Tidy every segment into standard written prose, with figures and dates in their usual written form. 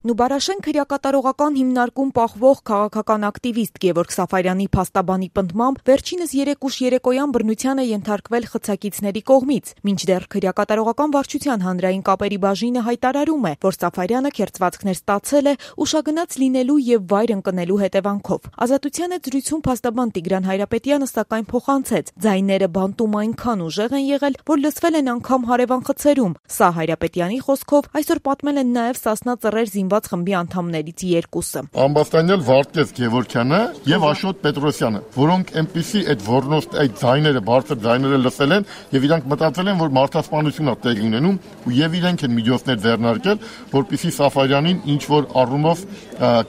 Նուբարաշեն քրեակատարողական հիմնարկում պահվող քաղաքական ակտիվիստ Գևորգ Սաֆարյանի փաստաբանի պնդմամբ վերջինս 3 ուշ երեկոյան բռնության է ենթարկվել խցակիցների կողմից, մինչդեռ քրեակատարողական վարչության հանրային կապերի բաժինը հայտարարում է, որ Սաֆարյանը քերծվածքներ ստացել է ուշագնաց լինելու եւ վայր ընկնելու հետևանքով։ Ազատության հետ զրույցում փաստաբան Տիգրան Հայրապետյանը սակայն փոխանցեց, ձայները բանտում այնքան ուժեղ են եղել, որ լսվել են անգամ հարևան խցերում։ Սա Հայրապետյանի խոսքով այսօր պատմել են նաեւ Սասնա Ծռեր խմբի անդամներից երկուսը։ Ամբաստանյալ Վարդգես Գևորգյանը եւ Աշոտ Պետրոսյանը, որոնք այնպիսի այդ ոռնոստ այդ ձայները, բարձր ձայները լսել են եւ իրանք մտածել են, որ մարդասպանություն է տեղի ունենում ու եւ իրենք են միջոցներ ձեռնարկել, որպեսզի Սաֆարյանին ինչ որ առումով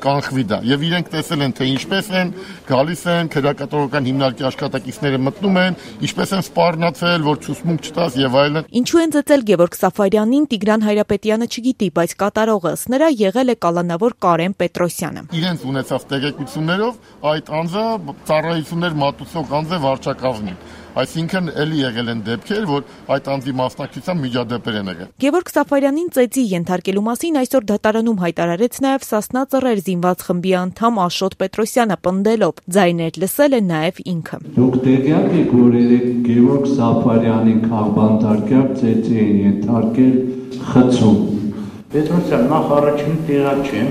կանխվի դա։ Եվ իրենք տեսել են, թե ինչպես են գալիս են քրեակատարողական հիմնարկի աշխատակիցները մտնում են, ինչպես են սպառնացել, որ ցուսմունք չտաս եւ այլն։ Ինչու են ծեծել Գևորգ Սաֆարյանին, Տիգրան Հայրապետյանը չգիտի, բայց կատարողը ըստ նրա եղել է կալանավոր Կարեն Պետրոսյանը։ Իրենց ունեցած տեղեկություններով այդ անձը ծառայություններ մատուցող անձ է վարչակազմին։ Այսինքն էլի եղել են դեպքեր, որ այդ անձի մասնակցությամբ միջադեպեր են եղել։ Գևորգ Սաֆարյանին ծեծի ենթարկելու մասին այսօր դատարանում հայտարարեց նաև Սասնա Ծռեր զինված խմբի անդամ Աշոտ Պետրոսյանը, պնդելով, ձայներ լսել է նաև ինքը։ Դուք տեղյակ եք, որ Գևորգ Սաֆարյանին քաղբանտարկյալ ծեծի են ենթարկել խցում։ Պետրոսյան, նախ առաջին տեղակ չեմ։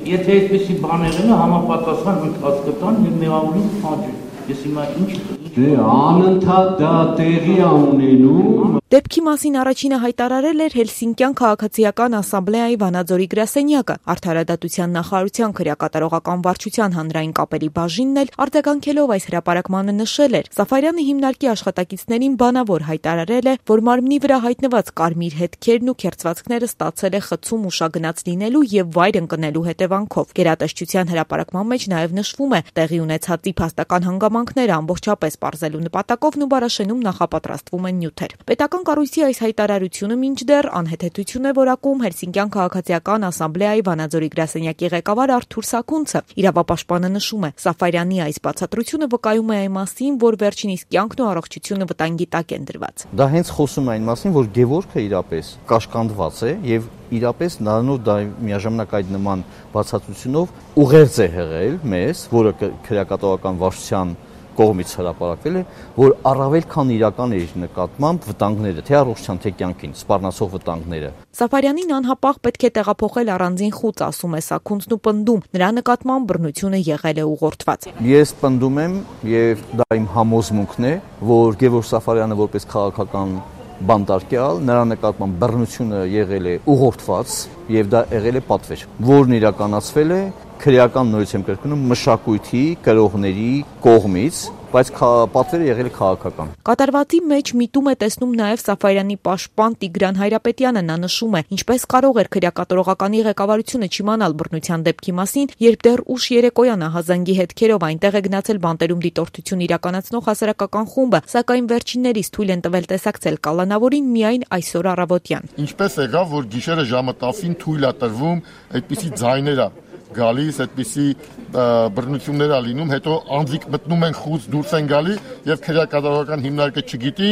Եթե այսպեսի բաներ են, համապատասխան ընթացք տան եւ մեղավորին փոխի։ Ես հիմա ինչ անընդհատ դա տեղի է ունենում։ Դեպքի մասին առաջինը հայտարարել էր Հելսինկյան քաղաքացիական ասամբլեայի Վանաձորի գրասենյակը, Արդարադատության նախարարության քրեակատարողական վարչության հանրային կապերի բաժինն էլ արձագանքելով այս հրապարակմանը նշել էր, Սաֆարյանը հիմնարկի աշխատակիցներին բանավոր հայտարարել է, որ մարմնի վրա հայտնված կարմիր հետքերն ու քերծվածքները ստացել է խցում ուշագնաց լինելու եւ վայր ընկնելու հետևանքով։ Գերատեսչության հրապարակման մեջ նաեւ նշվում է տեղի ունեցածի փաստական հանգամանքները ամբողջապես պարզելու նպատակով Նուբարաշենում նախապատրաստվում են նյութեր։ Պետական կառույցի այս հայտարարությունը մինչդեռ անհեթեթություն է որակում Հելսինկյան քաղաքացիական ասամբլեայի Վանաձորի գրասենյակի ղեկավար Արթուր Սաքունցը։ Իրավապաշտպանը նշում է, Սաֆարյանի այս բացատրությունը վկայում է այն մասին, որ վերջինիս կյանքն ու առողջությունը վտանգի տակ են դրված։ Դա հենց խոսում է այն մասին, որ Գևորգը իրապես կաշկանդված է եւ իրապես նրանով դա միաժամանակ այդ նման բացատրությունով ուղերձ է հղել մեզ, որը քրեակատարողական վարչության կողմից հրապարակվել է, որ առավել քան իրական է իր նկատմամբ վտանգները, թե առողջության, թե կյանքին, սպառնացող վտանգները։ Սաֆարյանին անհապաղ պետք է տեղափոխել առանձին խուծ, ասում է Սաքունցն ու պնդում, նրա նկատմամբ բռնությունը եղել է ուղղորդված։ Ես պնդում եմ, եւ դա իմ համոզմունքն է, որ Գևորգ Սաֆարյանը որպես քաղաքական բանտարկյալ, նրա նկատմամբ բռնությունը եղել է ուղղորդված եւ դա եղել է պատվեր, որն իրականացվել է քրեական նորից եմ կրկնում մշակույթի կրողների կողմից, բայց պատվերը եղել է քաղաքական։ Կատարվածի մեջ միտում է տեսնում նաև Սաֆարյանի պաշտպան Տիգրան Հայրապետյանը, նա նշում է, ինչպես կարող էր քրեակատարողականի ղեկավարությունը չիմանալ բռնության դեպքի մասին, երբ դեռ ուշ երեկոյան ահազանգի հետքերով այնտեղ է գնացել բանտերում դիտորդություն իրականացնող հասարակական խումբը, սակայն վերջիններից թույլ են տվել տեսակցել կալանավորին միայն այսօր առավոտյան։ Ինչպես եղավ, որ գիշերը ժամը 10-ին թույլ է տրվում այդպիսի ձայները գալիս, այդպիսի բռնություններ ա լինում, հետո անձիկ մտնում են խուծ, դուրս են գալի եւ քրեակատարողական հիմնարկը չգիտի,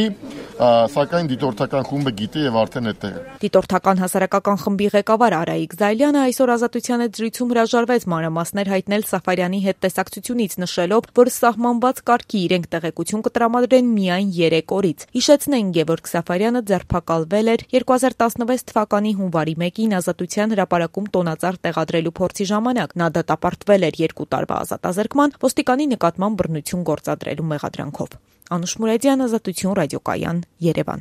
սակայն դիտորդական խումբը գիտի եւ արդեն այդտեղ է։ Դիտորդական հասարակական խմբի ղեկավար Արայիկ Զայլյանը այսօր Ազատության հետ զրույցում հրաժարվեց մանրամասներ հայտնել Սաֆարյանի հետ տեսակցությունից, նշելով, որ սահմանված կարգի իրենք տեղեկություն կտրամադրեն միայն 3 օրից։ Հիշեցնենք, Գևորգ Սաֆարյանը ձերբակալվել էր 2016 թվականի հունվարի 1-ին Ազատության հրապարակում տոնածառ տեղադրելու փորձի ժամանակ։ Նա դատապարտվել էր 2 տարվա ազատազրկման ոստիկանի նկատմամբ բռնություն գործադրելու մեղադրանքով։ Անուշ Մուրադյան, Ազատություն ռադիոկայան, Երևան։